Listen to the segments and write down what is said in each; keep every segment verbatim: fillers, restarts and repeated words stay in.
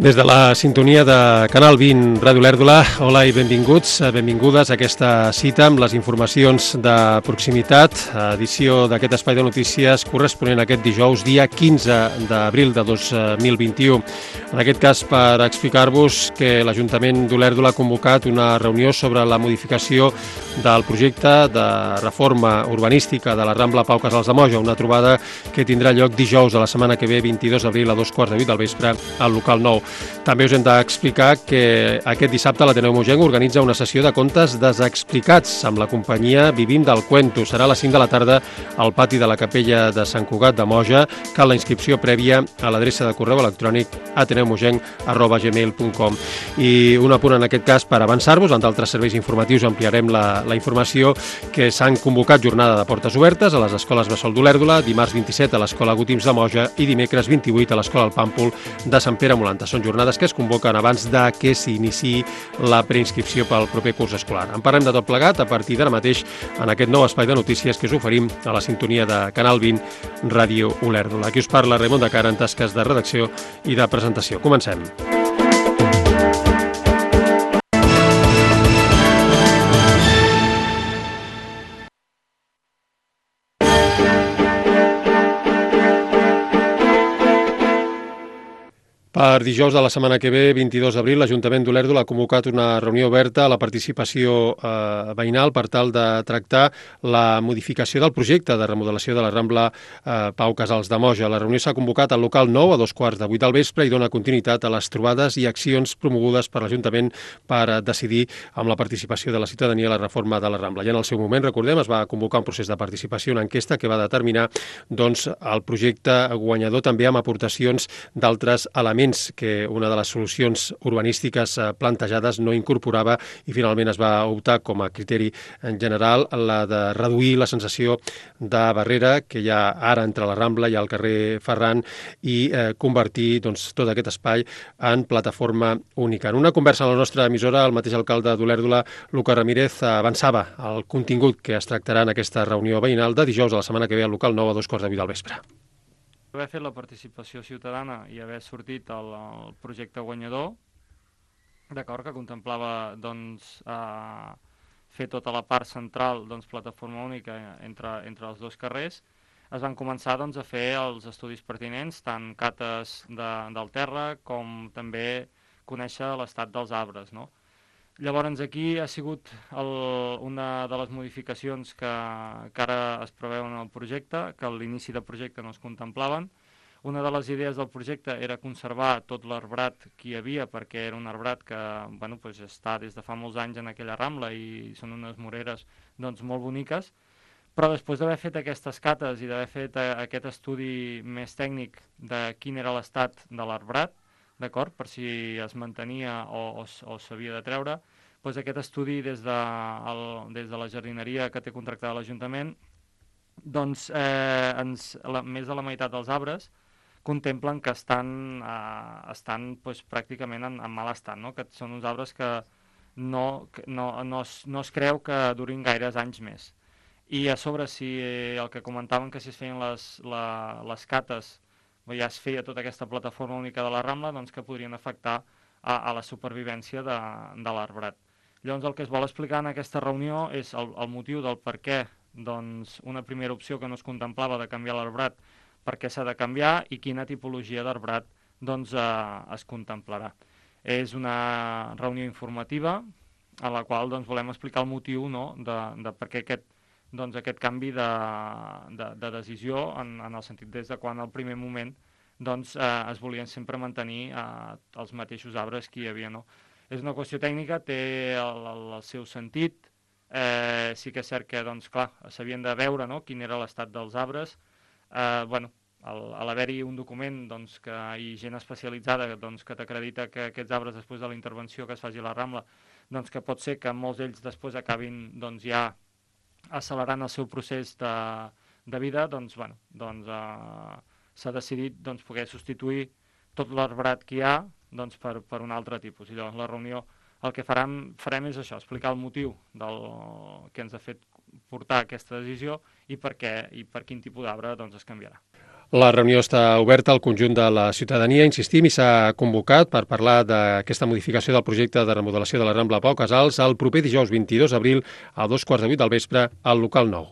Des de la sintonia de Canal vint Ràdio Olèrdola, hola i benvinguts, benvingudes a aquesta cita amb les informacions de proximitat, edició d'aquest espai de notícies corresponent a aquest dijous, dia quinze d'abril de dos mil vint-i-u. En aquest cas, per explicar-vos que l'Ajuntament d'Olèrdola ha convocat una reunió sobre la modificació del projecte de reforma urbanística de la Rambla Pau Casals de Moja, una trobada que tindrà lloc dijous de la setmana que ve, vint-i-dos d'abril, a dos quarts de vuit del vespre, al local nou. També us hem d'explicar que aquest dissabte l'Ateneu Mogenc organitza una sessió de contes desexplicats amb la companyia Vivim del Cuento. Serà a les cinc de la tarda al pati de la capella de Sant Cugat de Moja. Cal la inscripció prèvia a l'adreça de correu electrònic ateneumogenc arroba gmail punt com. I un apunt en aquest cas per avançar-vos, en d'altres serveis informatius ampliarem la, la informació que s'han convocat jornada de portes obertes a les escoles Bressol d'Olèrdola, dimarts vint-i-set a l'escola Gotims de Moja i dimecres vint-i-vuit a l'escola El Pàmpol de Sant Pere Molanta. Són jornades que es convoquen abans de que s'iniciï la preinscripció pel proper curs escolar. En parlem de tot plegat a partir d'ara mateix en aquest nou espai de notícies que us oferim a la sintonia de Canal vint Ràdio Olèrdola. Aquí us parla Raimon de Cara en tasques de redacció i de presentació. Comencem. Per dijous de la setmana que ve, vint-i-dos d'abril, l'Ajuntament d'Olèrdola ha convocat una reunió oberta a la participació eh, veïnal per tal de tractar la modificació del projecte de remodelació de la Rambla eh, Pau Casals de Moja. La reunió s'ha convocat al local nou a dos quarts de vuit del vespre i dona continuïtat a les trobades i accions promogudes per l'Ajuntament per eh, decidir amb la participació de la ciutadania la reforma de la Rambla. Ja en el seu moment, recordem, es va convocar un procés de participació, una enquesta que va determinar doncs, el projecte guanyador també amb aportacions d'altres elements que una de les solucions urbanístiques plantejades no incorporava i finalment es va optar com a criteri en general la de reduir la sensació de barrera que hi ha ara entre la Rambla i el carrer Ferran i eh, convertir doncs, tot aquest espai en plataforma única. En una conversa a la nostra emissora, el mateix alcalde d'Olèrdola, Lucas Ramírez, avançava el contingut que es tractarà en aquesta reunió veïnal de dijous a la setmana que ve al local nou a dos quarts de vuit del vespre. Haver fet la participació ciutadana i haver sortit el, el projecte guanyador, d'acord, que contemplava doncs, eh, fer tota la part central, doncs, plataforma única entre, entre els dos carrers, es van començar doncs, a fer els estudis pertinents, tant cates de, del terra com també conèixer l'estat dels arbres, no? Llavors aquí ha sigut el, una de les modificacions que, que ara es preveuen en el projecte, que a l'inici del projecte no es contemplaven. Una de les idees del projecte era conservar tot l'arbrat que hi havia, perquè era un arbrat que bueno, pues està des de fa molts anys en aquella Rambla i són unes moreres doncs, molt boniques, però després d'haver fet aquestes cates i d'haver fet aquest estudi més tècnic de quin era l'estat de l'arbrat, d'acord, per si es mantenia o, o, o s'havia de treure, doncs aquest estudi des de, el, des de la jardineria que té contractada l'Ajuntament, doncs eh, ens, la, més de la meitat dels arbres contemplen que estan, eh, estan doncs, pràcticament en, en mal estat, no? Que són uns arbres que no, que no, no, es, no es creu que durin gaires anys més. I a sobre, si el que comentaven que si es feien les, la, les cates ja es feia tota aquesta plataforma única de la Rambla, doncs que podrien afectar a, a la supervivència de, de l'arbrat. Llavors el que es vol explicar en aquesta reunió és el, el motiu del per què doncs, una primera opció que no es contemplava de canviar l'arbrat, per què s'ha de canviar i quina tipologia d'arbrat doncs, eh, es contemplarà. És una reunió informativa a la qual doncs, volem explicar el motiu no, de, de per què aquest doncs, aquest canvi de, de, de decisió en, en el sentit des de quan al primer moment doncs, eh, es volien sempre mantenir eh, els mateixos arbres que hi havia. No? És una qüestió tècnica, té el, el, el seu sentit, eh, sí que és cert que doncs, clar, s'havien de veure no, quin era l'estat dels arbres. Eh, bueno, al, a l'haver-hi un document doncs, que hi ha gent especialitzada doncs, que t'acredita que aquests arbres després de la intervenció que es faci a la Rambla, doncs, que pot ser que molts d'ells després acabin doncs, ja accelerant el seu procés de, de vida, doncs, bueno, doncs, eh, s'ha decidit doncs, poder substituir tot l'arbrat que hi ha doncs, per, per un altre tipus. I llavors la reunió el que farem, farem és això, explicar el motiu del que ens ha fet portar aquesta decisió i per què i per quin tipus d'arbre doncs, es canviarà. La reunió està oberta al conjunt de la ciutadania, insistim, i s'ha convocat per parlar d'aquesta modificació del projecte de remodelació de la Rambla Pau Casals el proper dijous vint-i-dos d'abril a dos quarts de vuit del vespre al local nou.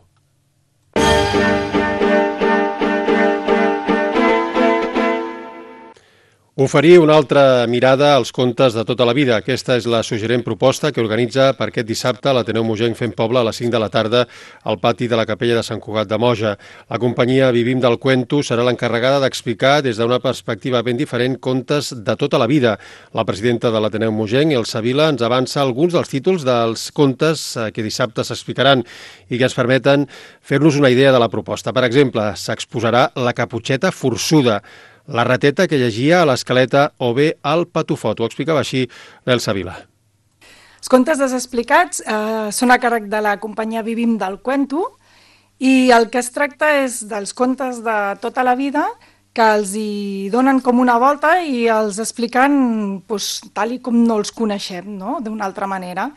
Oferir una altra mirada als contes de tota la vida. Aquesta és la suggerent proposta que organitza per aquest dissabte l'Ateneu Mogenc Fent Poble a les cinc de la tarda al pati de la capella de Sant Cugat de Moja. La companyia Vivim del Cuento serà l'encarregada d'explicar des d'una perspectiva ben diferent contes de tota la vida. La presidenta de l'Ateneu Mogenc, Elsa Vila, ens avança alguns dels títols dels contes que dissabte s'explicaran i que ens permeten fer-nos una idea de la proposta. Per exemple, s'exposarà La Caputxeta Forçuda, la rateta que llegia a l'escaleta o bé el patufot. Ho explicava així l'Elsa Vila. Els contes desexplicats eh, són a càrrec de la companyia Vivim del Cuento i el que es tracta és dels contes de tota la vida que els hi donen com una volta i els expliquen doncs, tal i com no els coneixem, no? D'una altra manera.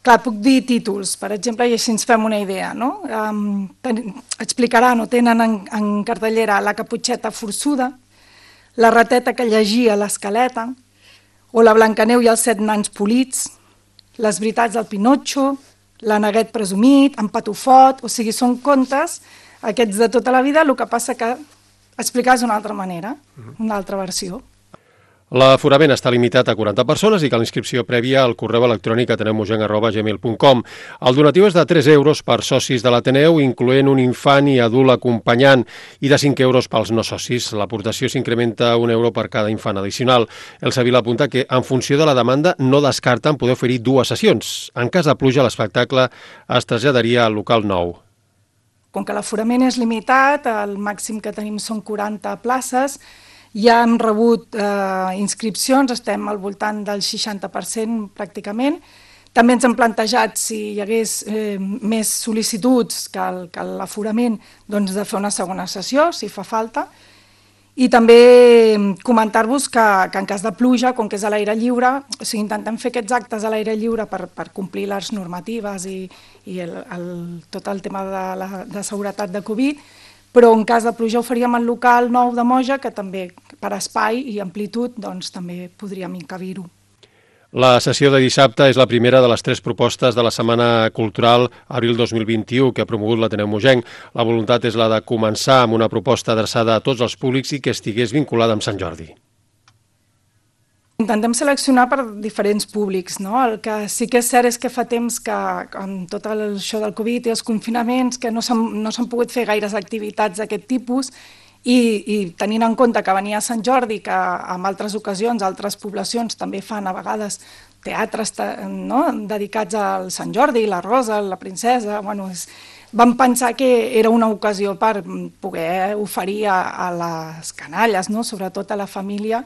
Clar, puc dir títols, per exemple, i així ens fem una idea, no? Um, ten, explicaran o tenen en, en cartellera La Caputxeta Forçuda, La rateta que llegia l'escaleta, o La Blancaneu i els set nans polits, Les veritats del Pinotxo, L'Aneguet presumit, En Patufot, o sigui, són contes, aquests de tota la vida, el que passa que explicar d'una altra manera, una altra versió. L'aforament està limitat a quaranta persones i cal inscripció prèvia al correu electrònic ateneumogenc arroba gmail punt com. El donatiu és de tres euros per socis de l'Ateneu, incloent un infant i adult acompanyant, i de cinc euros pels no socis. L'aportació s'incrementa un euro per cada infant addicional. Elsa Vila apunta que, en funció de la demanda, no descarten poder oferir dues sessions. En cas de pluja, l'espectacle es traslladaria al local nou. Com que l'aforament és limitat, el màxim que tenim són quaranta places, ja hem rebut eh, inscripcions, estem al voltant del seixanta per cent pràcticament. També ens hem plantejat, si hi hagués eh, més sol·licituds que l'aforament, doncs de fer una segona sessió, si fa falta. I també comentar-vos que, que en cas de pluja, com que és a l'aire lliure, o sigui, intentem fer aquests actes a l'aire lliure per, per complir les normatives i, i el, el, tot el tema de, la, de seguretat de Covid, però en cas de pluja ho faríem al local nou de Moja, que també per espai i amplitud doncs, també podríem encabir-ho. La sessió de dissabte és la primera de les tres propostes de la Setmana Cultural Abril dos mil vint-i-u que ha promogut l'Ateneu Mogenc. La voluntat és la de començar amb una proposta adreçada a tots els públics i que estigués vinculada amb Sant Jordi. Intentem seleccionar per diferents públics, no? El que sí que és cert és que fa temps que, amb tot això del Covid i els confinaments, que no s'han no s'han pogut fer gaires activitats d'aquest tipus i, i tenint en compte que venia Sant Jordi, que en altres ocasions, altres poblacions també fan a vegades teatres no? dedicats al Sant Jordi, la Rosa, la Princesa, bueno, és, vam pensar que era una ocasió per poder oferir a, a les canalles, no? Sobretot a la família,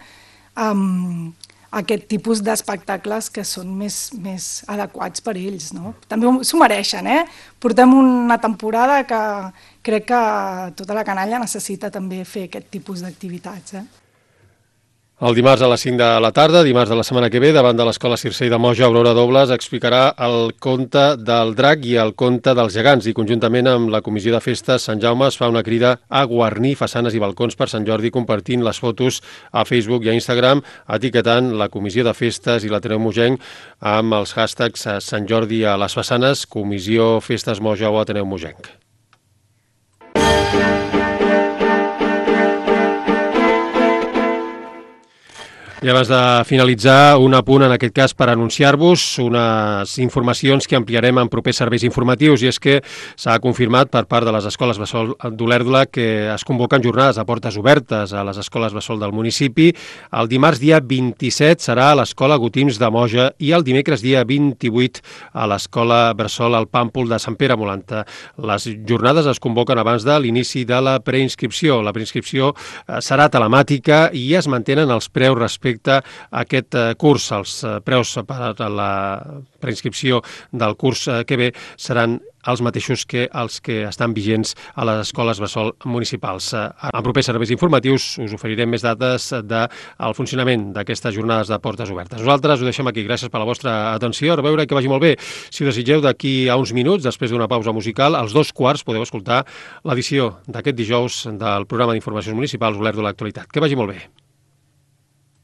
amb aquest tipus d'espectacles que són més, més adequats per ells. No? També s'ho mereixen, eh? Portem una temporada que crec que tota la canalla necessita també fer aquest tipus d'activitats. Eh? El dimarts a les cinc de la tarda, dimarts de la setmana que ve, davant de l'Escola Circei de Moja, Aurora Dobles explicarà el conte del drac i el conte dels gegants i conjuntament amb la Comissió de Festes Sant Jaume es fa una crida a guarnir façanes i balcons per Sant Jordi compartint les fotos a Facebook i a Instagram, etiquetant la Comissió de Festes i l'Ateneu Mogenc amb els hashtags Sant Jordi a les façanes, Comissió Festes Moja o Ateneu Mogenc. I abans de finalitzar, un apunt en aquest cas per anunciar-vos unes informacions que ampliarem en propers serveis informatius, i és que s'ha confirmat per part de les escoles Bressol d'Olèrdola que es convoquen jornades a portes obertes a les escoles Bressol del municipi. El dimarts dia vint-i-set serà a l'escola Gotims de Moja i el dimecres dia vint-i-vuit a l'escola Bressol al Pàmpol de Sant Pere Molanta. Les jornades es convoquen abans de l'inici de la preinscripció. La preinscripció serà telemàtica i es mantenen els preus respecte respecte a aquest curs. Els preus per a la preinscripció del curs que ve seran els mateixos que els que estan vigents a les escoles bressol municipals. En propers serveis informatius us oferirem més dades del funcionament d'aquestes jornades de portes obertes. Nosaltres ho deixem aquí. Gràcies per la vostra atenció. A veure, que vagi molt bé. Si ho desitgeu, d'aquí a uns minuts, després d'una pausa musical, als dos quarts podeu escoltar l'edició d'aquest dijous del programa d'informacions municipals Olèrdola Actualitat. Que vagi molt bé.